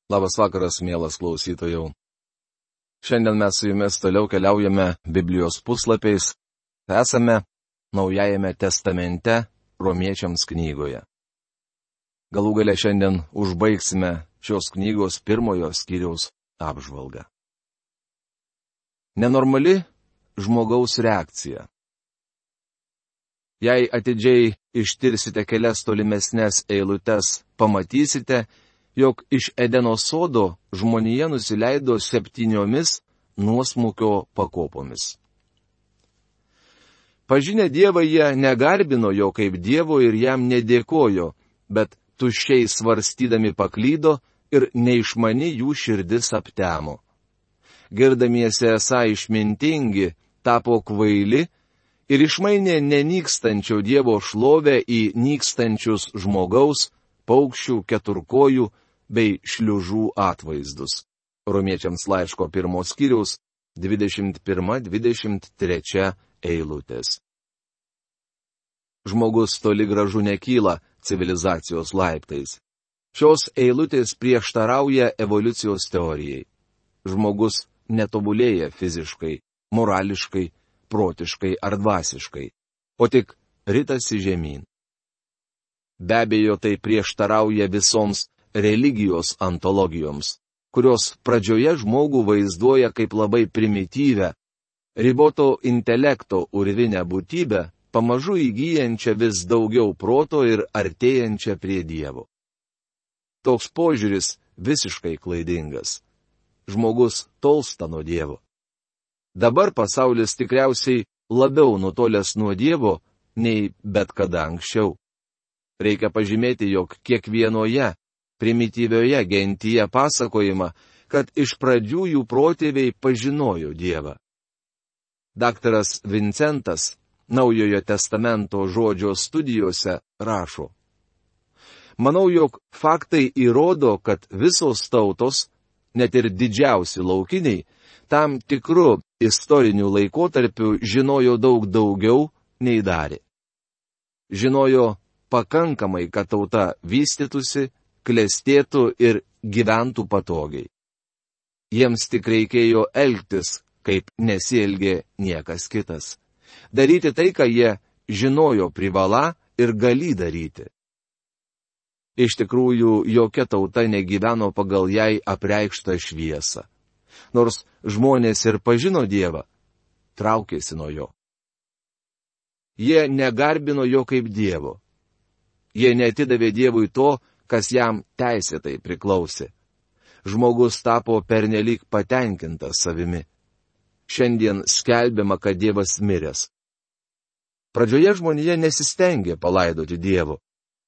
Labas vakaras, mielas klausytojau. Šiandien mes su jumis toliau keliaujame Biblijos puslapiais. Esame Naujajame testamente Romiečiams knygoje. Galų gale šiandien užbaigsime šios knygos 1 skyriaus apžvalgą. Nenormali žmogaus reakcija. Jei atidžiai ištirsite kelias tolimesnės eilutes, pamatysite, jog iš Edeno sodo žmonija nusileido 7 nuosmukio pakopomis. Pažinę Dievą jie negarbino jo kaip Dievo ir jam nedėkojo, bet tuščiai svarstydami paklydo ir neišmani jų širdis aptemo. Girdamiesi esą išmintingi, tapo kvaili ir išmainė nenykstančio Dievo šlovę į nykstančius žmogaus, paukščių, keturkojų bei šliužų atvaizdus. Romiečiams laiško 1 skyriaus 21-23 eilutės. Žmogus toli gražu nekyla civilizacijos laiptais. Šios eilutės prieštarauja evoliucijos teorijai. Žmogus netobulėja fiziškai, morališkai, protiškai ar dvasiškai, o tik ritasi žemyn. Be abejo, tai prieštarauja visoms religijos antologijoms, kurios pradžioje žmogų vaizduoja kaip labai primityvę, riboto intelekto urvinę būtybę, pamažu įgyjančią vis daugiau proto ir artėjančią prie Dievo. Toks požiūris visiškai klaidingas. Žmogus tolsta nuo Dievo. Dabar pasaulis tikriausiai labiau nutolęs nuo Dievo nei bet kada anksčiau. Reikia pažymėti, jog kiekvienoje primityvioje gentyje pasakojama, kad iš pradžių jų protėviai pažinojo Dievą. Daktaras Vincentas Naujojo testamento žodžio studijose rašo: Manau, jog faktai įrodo, kad visos tautos, net ir didžiausi laukiniai, tam tikru istoriniu laikotarpiu žinojo daug daugiau nei darė. Žinojo pakankamai, kad tauta vystytųsi, klestėtų ir gyventų patogiai. Jiems tik reikėjo elgtis, kaip nesielgė niekas kitas. Daryti tai, ką jie žinojo privalą ir galį daryti. Iš tikrųjų, jokia tauta negyveno pagal jai apreikštą šviesą. Nors žmonės ir pažino Dievą, traukėsi nuo jo. Jie negarbino jo kaip Dievo. Jie neatidavė Dievui to, kas jam teisėtai priklausė. Žmogus tapo pernelyg patenkintas savimi. Šiandien skelbiama, kad Dievas miręs. Pradžioje žmonija nesistengė palaidoti Dievo,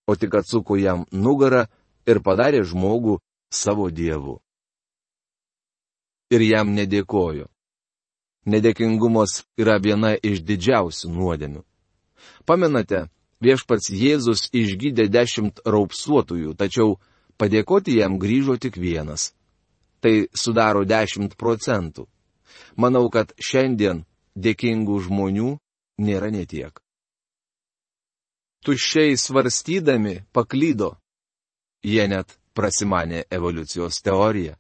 o tik atsuko jam nugarą ir padarė žmogų savo Dievu. Ir jam nedėkojo. Nedėkingumas yra viena iš didžiausių nuodėmių. Pamenate, Viešpats Jėzus išgydė 10 raupsuotųjų, tačiau padėkoti jam grįžo tik 1. Tai sudaro 10%. Manau, kad šiandien dėkingų žmonių nėra netiek. Tuščiai svarstydami paklydo. Jie net prasimanė evoliucijos teoriją.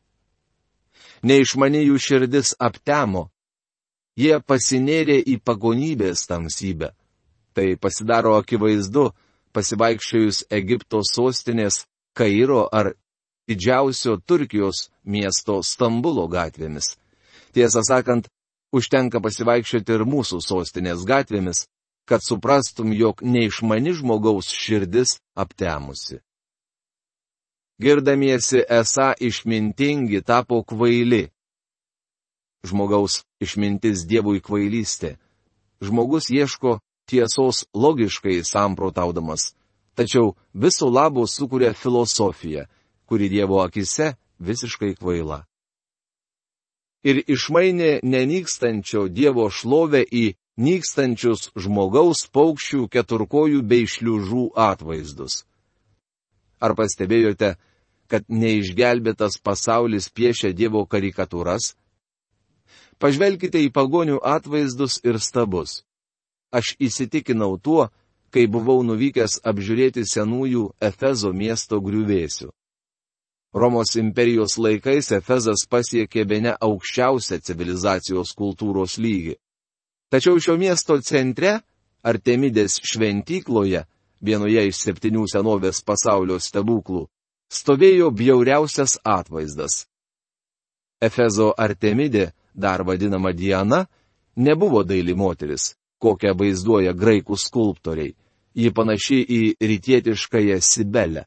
Neišmani jų širdis aptemo. Jie pasinėrė į pagonybės tamsybę. Tai pasidaro akivaizdu, pasivaikščiojus Egipto sostinės Kairo ar didžiausio Turkijos miesto Stambulo gatvėmis. Tiesą sakant, užtenka pasivaikščioti ir mūsų sostinės gatvėmis, kad suprastum, jog neišmani žmogaus širdis aptemusi. Girdamiesi esą išmintingi tapo kvaili. Žmogaus išmintis Dievui kvailystė. Žmogus ieško tiesos logiškai samprotaudamas, tačiau viso labo sukuria filosofiją, kuri Dievo akise visiškai kvaila. Ir išmainė nenykstančio Dievo šlovę į nykstančius žmogaus, paukščių, keturkojų bei šliužų atvaizdus. Ar pastebėjote, kad neišgelbėtas pasaulis piešia Dievo karikatūras? Pažvelkite į pagonių atvaizdus ir stabus. Aš įsitikinau tuo, kai buvau nuvykęs apžiūrėti senųjų Efezo miesto griuvėsių. Romos imperijos laikais Efezas pasiekė bene aukščiausią civilizacijos kultūros lygį. Tačiau šio miesto centre, Artemidės šventykloje, vienoje iš 7 senovės pasaulio stebuklų, stovėjo bjauriausias atvaizdas. Efezo Artemidė, dar vadinama Diana, nebuvo daili moteris, kokią vaizduoja graikų skulptoriai. Ji panaši į rytietiškąją Sibelę,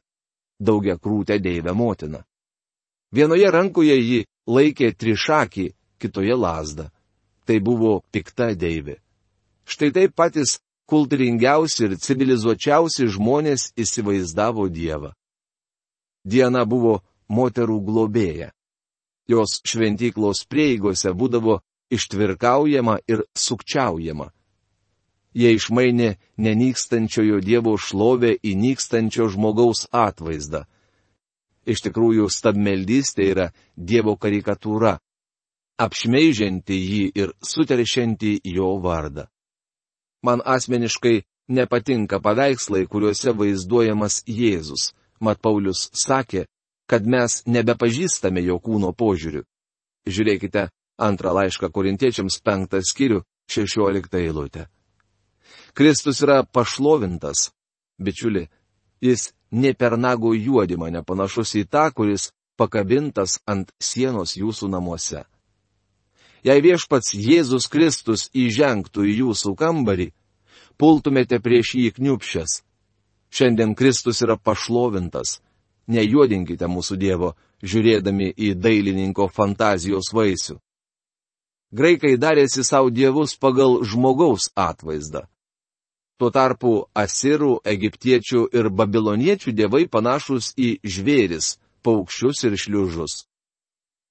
daugiakrūtę deivę motiną. Vienoje rankoje ji laikė trišakį, kitoje lazdą. Tai buvo pikta deivė. Štai taip patys kultūringiausi ir civilizuočiausi žmonės įsivaizdavo Dievą. Diana buvo moterų globėja. Jos šventyklos prieigose būdavo ištvirkaujama ir sukčiaujama. Jie išmainė nenykstančiojo Dievo šlovę į nykstančio žmogaus atvaizdą. Iš tikrųjų, stabmeldystė yra Dievo karikatūra, apšmeižianti jį ir suteršianti jo vardą. Man asmeniškai nepatinka paveikslai, kuriuose vaizduojamas Jėzus, mat Paulius sakė, kad mes nebepažįstame jo kūno požiūrių. Žiūrėkite 2 laišką Korintiečiams 5 skyrių 16 eilutę. Kristus yra pašlovintas. Bičiuli, jis ne per nago juodimą nepanašus į tą, kuris pakabintas ant sienos jūsų namuose. Jei viešpats Jėzus Kristus įžengtų į jūsų kambarį, pultumėte prieš jį kniupšęs. Šiandien Kristus yra pašlovintas. Nejuodinkite mūsų Dievo, žiūrėdami į dailininko fantazijos vaisių. Graikai darėsi savo dievus pagal žmogaus atvaizdą. Tuo tarpu asirų, egiptiečių ir babiloniečių dievai panašūs į žvėris, paukščius ir šliužus.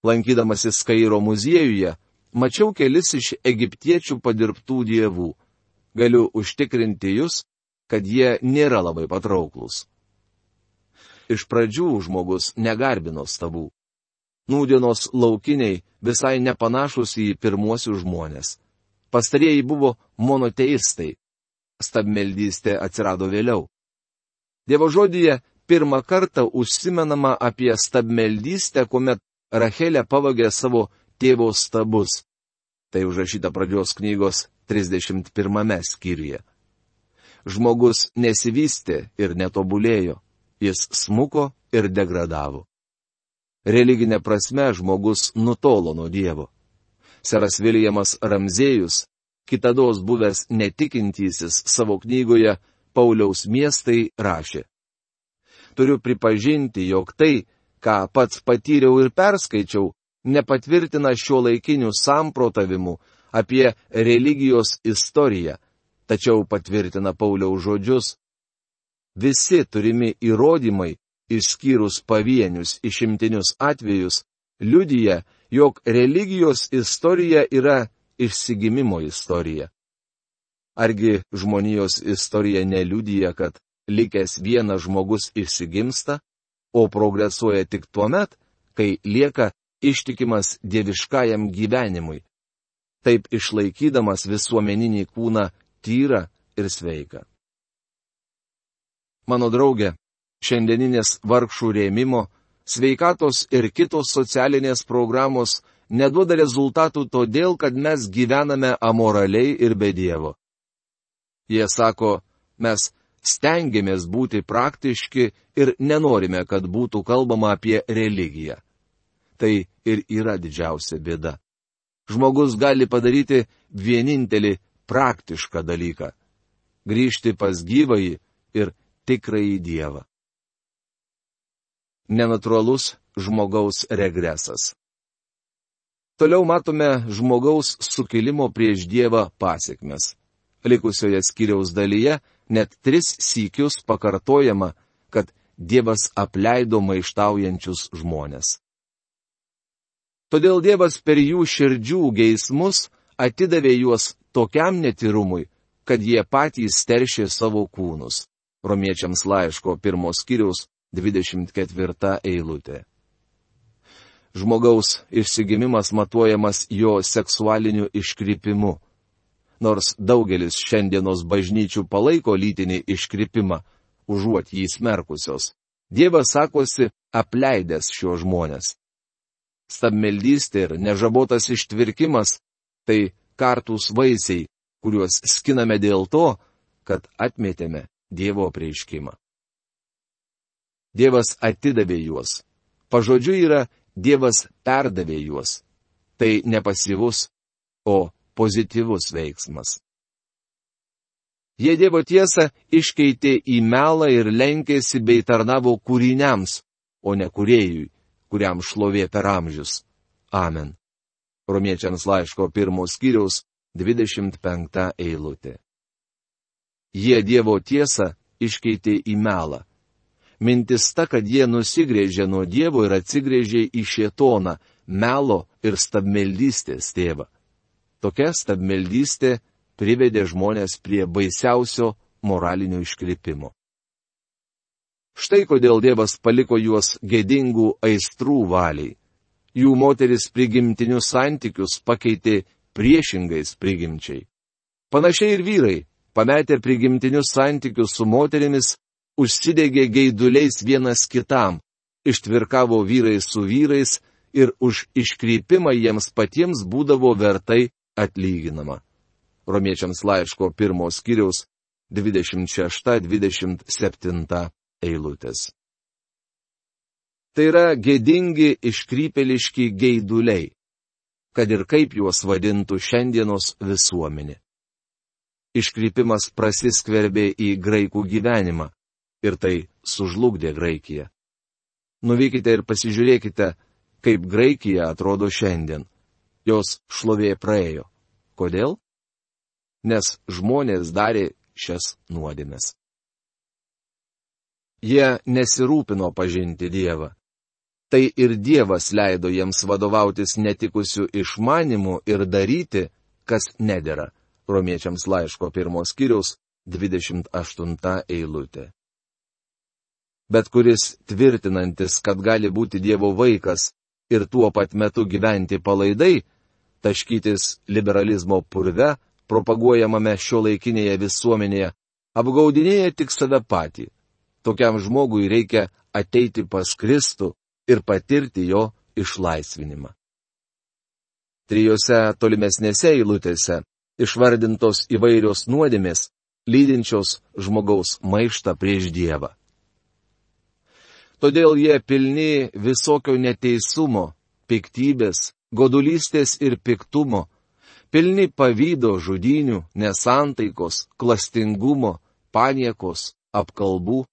Lankydamasis Kairo muziejuje, mačiau kelis iš egiptiečių padirbtų dievų. Galiu užtikrinti jūs, kad jie nėra labai patrauklus. Iš pradžių žmogus negarbino stabų. Nūdienos laukiniai visai nepanašus į pirmuosius žmonės. Pastarieji buvo monoteistai. Stabmeldystė atsirado vėliau. Dievo žodyje pirmą kartą užsimenama apie stabmeldystę, kuomet Rachelė pavogė savo tėvo stabus. Tai užrašyta pradžios knygos 31 skyriuje. Žmogus nesivystė ir netobulėjo. Jis smuko ir degradavo. Religinė prasme žmogus nutolo nuo Dievo. Seras Viljamas Ramzėjus, kitados buvęs netikintysis, savo knygoje Pauliaus miestai rašė: Turiu pripažinti, jog tai, ką pats patyriau ir perskaičiau, nepatvirtina šio laikinių samprotavimų apie religijos istoriją, tačiau patvirtina Pauliaus žodžius. Visi turimi įrodymai, išskyrus pavienius išimtinius atvejus, liudija, jog religijos istorija yra išsigimimo istorija. Argi žmonijos istorija neliudija, kad likęs vienas žmogus išsigimsta, o progresuoja tik tuomet, kai lieka ištikimas dieviškajam gyvenimui, taip išlaikydamas visuomeninį kūną tyrą ir sveiką. Mano draugė, šiandieninės vargšų rėmimo, sveikatos ir kitos socialinės programos neduoda rezultatų todėl, kad mes gyvename amoraliai ir be Dievo. Jie sako, mes stengiamės būti praktiški ir nenorime, kad būtų kalbama apie religiją. Tai ir yra didžiausia bėda. Žmogus gali padaryti vienintelį praktišką dalyką - grįžti pas gyvąjį ir tikrąjį Dievą. Nenatūralus žmogaus regresas. Toliau matome žmogaus sukilimo prieš Dievą pasekmes. Likusioje skyriaus dalyje net 3 sykius pakartojama, kad Dievas apleido maištaujančius žmonės. Todėl Dievas per jų širdžių geismus atidavė juos tokiam netyrumui, kad jie patys teršė savo kūnus. Romiečiams laiško 1 skyriaus 24 eilutė. Žmogaus išsigimimas matuojamas jo seksualiniu iškrypimu. Nors daugelis šiandienos bažnyčių palaiko lytinį iškrypimą, užuot jį smerkusios, Dievas sakosi apleidęs šios žmonės. Stabmeldystė ir nežabotas ištvirkimas – tai kartūs vaisiai, kuriuos skiname dėl to, kad atmetėme Dievo apreiškimą. Dievas atidavė juos. Pažodžiu yra Dievas perdavė juos. Tai ne pasyvus, o pozityvus veiksmas. Jie Dievo tiesą iškeitė į melą ir lenkėsi bei tarnavo kūriniams, o ne kūrėjui, kuriam šlovė per amžius. Amen. Romiečiams laiško 1 skyriaus 25 eilutė. Jie Dievo tiesą iškeitė į melą. Mintis ta, kad jie nusigrėžė nuo Dievo ir atsigrėžė į šėtoną, melo ir stabmeldystės tėvą. Tokia stabmeldystė privedė žmonės prie baisiausio moralinio iškrypimo. Štai kodėl Dievas paliko juos gėdingų aistrų valiai. Jų moteris prigimtinius santykius pakeitė priešingais prigimčiai. Panašiai ir vyrai, pametę prigimtinius santykius su moterimis, užsidegė geiduliais vienas kitam, ištvirkavo vyrai su vyrais ir už iškrypimą jiems patiems būdavo vertai atlyginama. Romiečiams laiško 1 skyriaus 26-27 eilutės. Tai yra gėdingi iškrypėliški geiduliai, kad ir kaip juos vadintų šiandienos visuomenė. Iškrypimas prasiskverbė į graikų gyvenimą ir tai sužlugdė Graikiją. Nuvykite ir pasižiūrėkite, kaip Graikija atrodo šiandien. Jos šlovė praėjo. Kodėl? Nes žmonės darė šias nuodėmes. Jie nesirūpino pažinti Dievą. Tai ir Dievas leido jiems vadovautis netikusiu išmanimu ir daryti, kas nedera. Romiečiams laiško 1 skyriaus 28 eilutė. Bet kuris tvirtinantis, kad gali būti Dievo vaikas ir tuo pat metu gyventi palaidai, taškytis liberalizmo purve, propaguojamame šiuolaikinėje visuomenėje, apgaudinėja tik save patį. Tokiam žmogui reikia ateiti pas Kristų ir patirti jo išlaisvinimą. 3 tolimesnėse eilutėse išvardintos įvairios nuodėmės, lydinčios žmogaus maištą prieš Dievą. Todėl jie pilni visokio neteisumo, piktybės, godulystės ir piktumo, pilni pavydo, žudynių, nesantaikos, klastingumo, paniekos, apkalbų.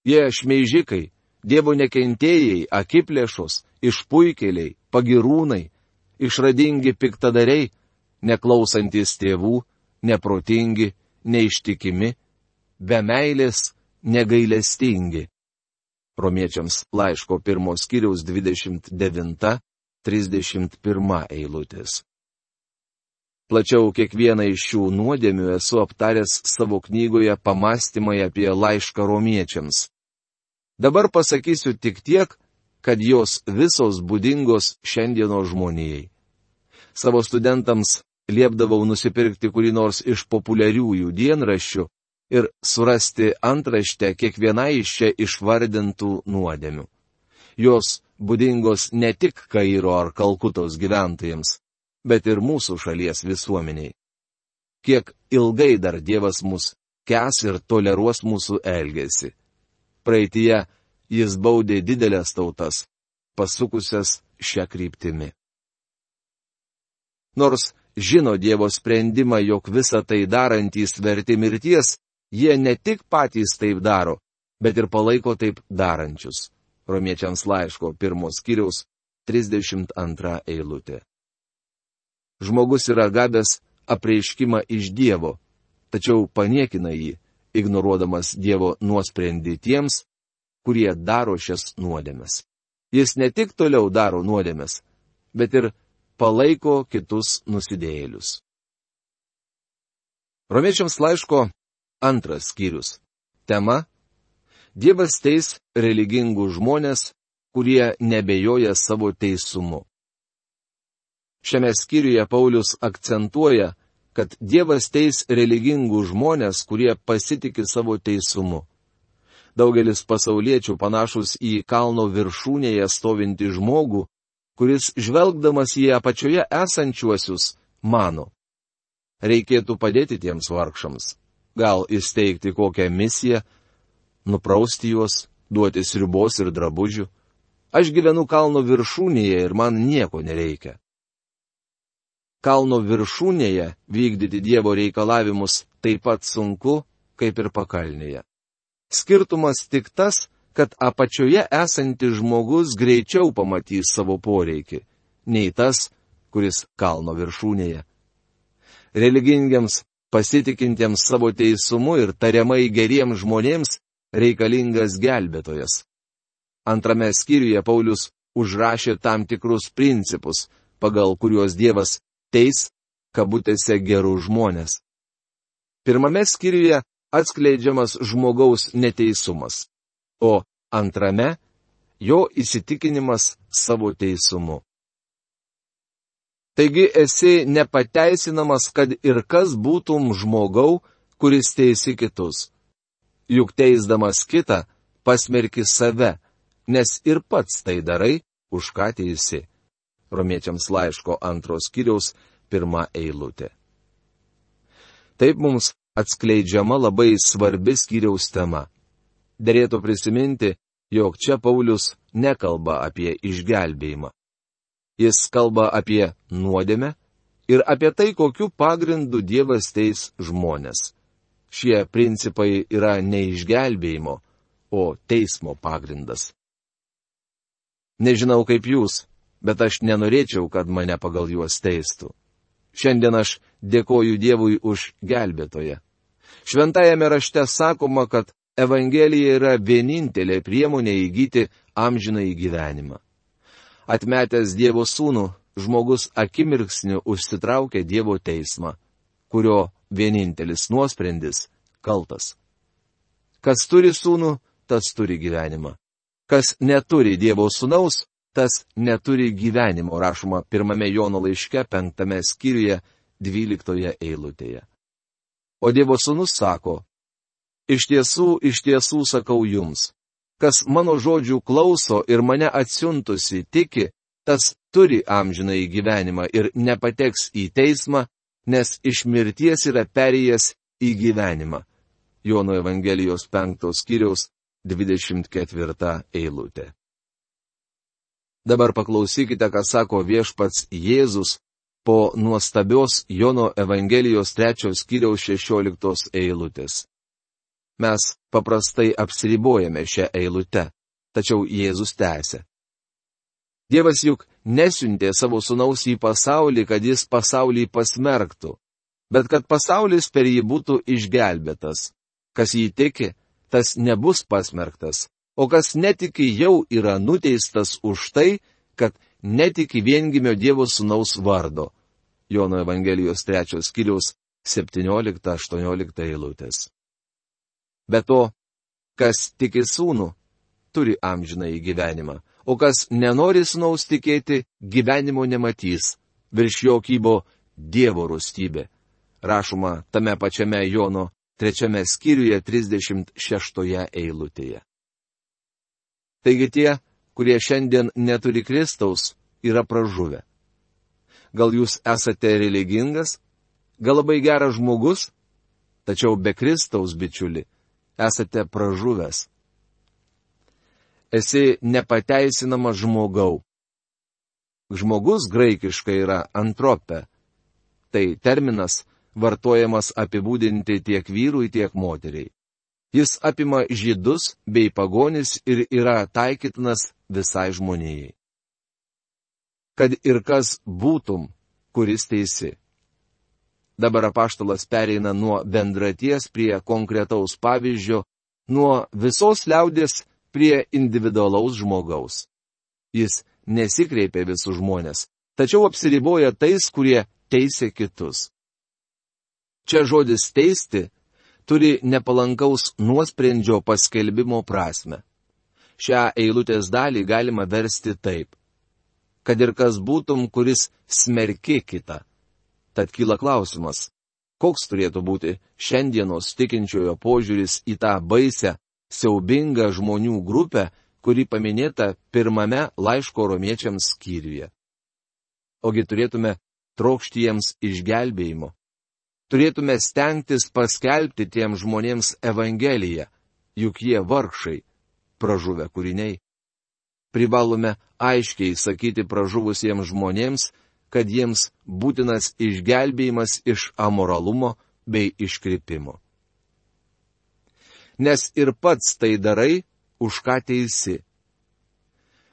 Jie šmeižikai, Dievo nekentėjai, akiplėšos, išpuikėliai, pagirūnai, išradingi piktadariai, neklausantis tėvų, neprotingi, neištikimi, be meilės, negailestingi. Romiečiams laiško 1 skyriaus 29-31 eilutės. Plačiau kiekvieną iš šių nuodėmių esu aptaręs savo knygoje Pamąstymai apie laišką romiečiams. Dabar pasakysiu tik tiek, kad jos visos būdingos šiandienos žmonijai. Savo studentams liepdavau nusipirkti kurį nors iš populiariųjų dienraščių ir surasti antraštę kiekvienai iš čia išvardintų nuodėmių. Jos būdingos ne tik Kairo ar Kalkutos gyventojams, bet ir mūsų šalies visuomeniai. Kiek ilgai dar Dievas mus kęs ir toleruos mūsų elgesį. Praeityje jis baudė didelės tautas, pasukusias šią kryptimį. Nors žino Dievo sprendimą, jog visą tai darantys verti mirties, jie ne tik patys taip daro, bet ir palaiko taip darančius. Romiečiams laiško 1 skyriaus 32 eilutė. Žmogus yra gavęs apreiškimą iš Dievo, tačiau paniekina jį, ignoruodamas Dievo nuosprendį tiems, kurie daro šias nuodėmes. Jis ne tik toliau daro nuodėmes, bet ir palaiko kitus nusidėjėlius. Romiečiams laiško 2 skyrius. Tema – Dievas teis religingų žmonės, kurie nebejoja savo teisumu. Šiame skyriuje Paulius akcentuoja, kad Dievas teis religingų žmonės, kurie pasitiki savo teisumu. Daugelis pasauliečių panašus į kalno viršūnėje stovintį žmogų, kuris žvelgdamas į apačioje esančiuosius, mano: reikėtų padėti tiems vargšams, gal įsteigti kokią misiją, nuprausti juos, duoti sriubos ir drabužių. Aš gyvenu kalno viršūnėje ir man nieko nereikia. Kalno viršūnėje vykdyti Dievo reikalavimus taip pat sunku, kaip ir pakalnėje. Skirtumas tik tas, kad apačioje esantis žmogus greičiau pamatys savo poreikį, nei tas, kuris kalno viršūnėje. Religingiams, pasitikintiems savo teisumu ir tariamai geriems žmonėms reikalingas gelbėtojas. Antrame skyriuje Paulius užrašė tam tikrus principus, pagal kuriuos Dievas teis, kabutėse, gerus žmonės. Pirmame skyriuje atskleidžiamas žmogaus neteisumas, o antrame jo įsitikinimas savo teisumu. Taigi esi nepateisinamas, kad ir kas būtum žmogau, kuris teisi kitus. Juk teisdamas kitą, pasmerki save, nes ir pats tai darai, už ką teisi. Romiečiams laiško 2 skyriaus 1 eilutė. Taip mums atskleidžiama labai svarbi skyriaus tema. Derėtų prisiminti, jog čia Paulius nekalba apie išgelbėjimą. Jis kalba apie nuodėmę ir apie tai, kokiu pagrindu Dievas teis žmonės. Šie principai yra ne išgelbėjimo, o teismo pagrindas. Nežinau kaip jūs, bet aš nenorėčiau, kad mane pagal juos teistų. Šiandien aš dėkoju Dievui už gelbėtoją. Šventajame rašte sakoma, kad Evangelija yra vienintelė priemonė įgyti amžinąjį gyvenimą. Atmetęs Dievo sūnų, žmogus akimirksniu užsitraukia Dievo teismą, kurio vienintelis nuosprendis - kaltas. Kas turi sūnų, tas turi gyvenimą. Kas neturi Dievo sūnaus, tas neturi gyvenimo, rašoma 1 Jono laiške 5 skyriuje 12 eilutėje. O Dievo sūnus sako: iš tiesų sakau jums, kas mano žodžių klauso ir mane atsiuntusi tiki, tas turi amžinąjį gyvenimą ir nepateks į teismą, nes iš mirties yra perėjęs į gyvenimą. Jono Evangelijos 5 skyriaus 24 eilutė. Dabar paklausykite, ką sako viešpats Jėzus po nuostabios Jono Evangelijos 3 skyriaus 16 eilutės. Mes paprastai apsiribojame šią eilutę, tačiau Jėzus tęsia. Dievas juk nesiuntė savo sūnaus į pasaulį, kad jis pasaulį pasmerktų, bet kad pasaulis per jį būtų išgelbėtas. Kas jį tiki, tas nebus pasmerktas, o kas netiki jau yra nuteistas už tai, kad netiki viengimio Dievo sūnaus vardo. Jono Evangelijos 3 skyriaus 17-18 eilutės. Be to, kas tiki sūnų, turi amžinąjį gyvenimą, o kas nenori sūnaus tikėti, gyvenimo nematys, virš jo kybo Dievo rūstybė. Rašoma tame pačiame Jono 3 skyriuje 36 eilutėje. Taigi tie, kurie šiandien neturi Kristaus, yra pražuvę. Gal jūs esate religingas, gal labai geras žmogus, tačiau be Kristaus, bičiuli, esate pražuvęs. Esi nepateisinamas žmogau. Žmogus graikiškai yra antropė. Tai terminas vartojamas apibūdinti tiek vyrui, tiek moteriai. Jis apima žydus bei pagonis ir yra taikytinas visai žmonijai. Kad ir kas būtum, kuris teisi. Dabar apaštalas pereina nuo bendraties prie konkretaus pavyzdžio, nuo visos liaudės prie individualaus žmogaus. Jis nesikreipia visus žmonės, tačiau apsiriboja tais, kurie teisė kitus. Čia žodis teisti turi nepalankaus nuosprendžio paskelbimo prasme. Šią eilutės dalį galima versti taip. Kad ir kas būtum, kuris smerki kitą. Tad kyla klausimas, koks turėtų būti šiandienos tikinčiojo požiūris į tą baisę siaubingą žmonių grupę, kuri paminėta pirmame laiško romiečiams skyriuje. Ogi turėtume trokšti jiems išgelbėjimo. Turėtume stengtis paskelbti tiems žmonėms Evangeliją, juk jie vargšai, pražuvę kūriniai. Privalome aiškiai sakyti pražuvusiems žmonėms, kad jiems būtinas išgelbėjimas iš amoralumo bei iškrypimo. Nes ir pats tai darai, už ką teisi.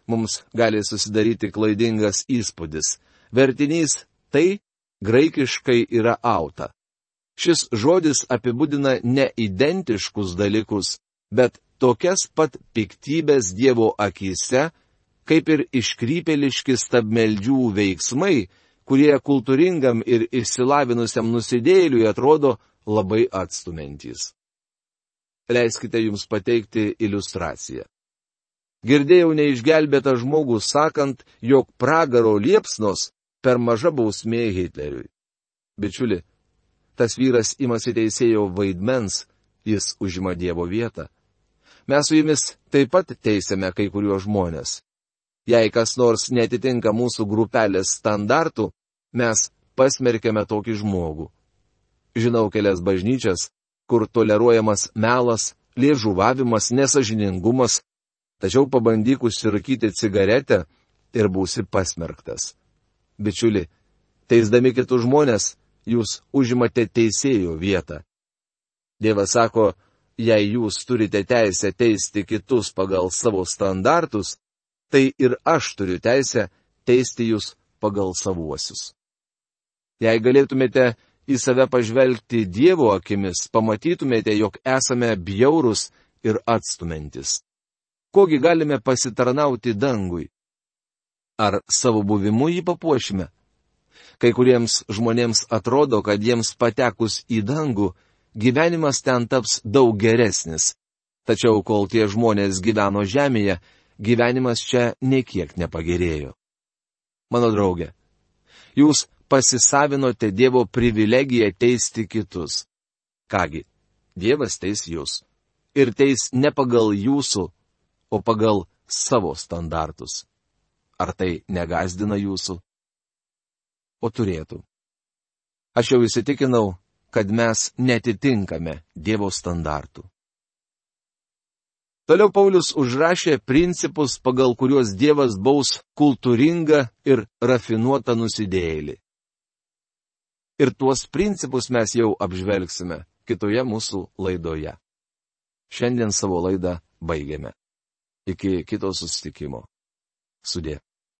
Mums gali susidaryti klaidingas įspūdis. Vertinys tai graikiškai yra auta. Šis žodis apibūdina ne identiškus dalykus, bet tokias pat piktybės Dievo akyse, kaip ir iškrypėliški stabmeldžių veiksmai, kurie kultūringam ir išsilavinusiam nusidėjėliui atrodo labai atstumentys. Leiskite jums pateikti iliustraciją. Girdėjau neišgelbėtą žmogų sakant, jog pragaro liepsnos per maža bausmė Hitleriui. Bičiuli, tas vyras imasi teisėjo vaidmens, jis užima Dievo vietą. Mes su jumis taip pat teisėme kai kuriuos žmonės. Jei kas nors netitinka mūsų grupelės standartų, mes pasmerkėme tokį žmogų. Žinau kelias bažnyčias, kur toleruojamas melas, liežuvavimas, nesažiningumas, tačiau pabandyk užsirūkyti cigaretę ir būsi pasmerktas. Bičiuli, teisdami kitus žmonės, jūs užimate teisėjo vietą. Dievas sako, jei jūs turite teisę teisti kitus pagal savo standartus, tai ir aš turiu teisę teisti jūs pagal savuosius. Jei galėtumėte į save pažvelgti Dievo akimis, pamatytumėte, jog esame bjaurūs ir atstumentis. Kogi galime pasitarnauti dangui? Ar savo buvimu jį papuošime? Kai kuriems žmonėms atrodo, kad jiems patekus į dangų, gyvenimas ten taps daug geresnis. Tačiau kol tie žmonės gyveno žemėje, gyvenimas čia niekiek nepagerėjo. Mano draugė, jūs pasisavinote Dievo privilegiją teisti kitus. Kągi, Dievas teis jūs. Ir teis ne pagal jūsų, o pagal savo standartus. Ar tai negąsdina jūsų? O turėtų. Aš jau įsitikinau, kad mes netitinkame Dievo standartų. Toliau Paulius užrašė principus, pagal kuriuos Dievas baus kultūringą ir rafinuotą nusidėjėlį. Ir tuos principus mes jau apžvelgsime kitoje mūsų laidoje. Šiandien savo laidą baigiame. Iki kito susitikimo. Sudie.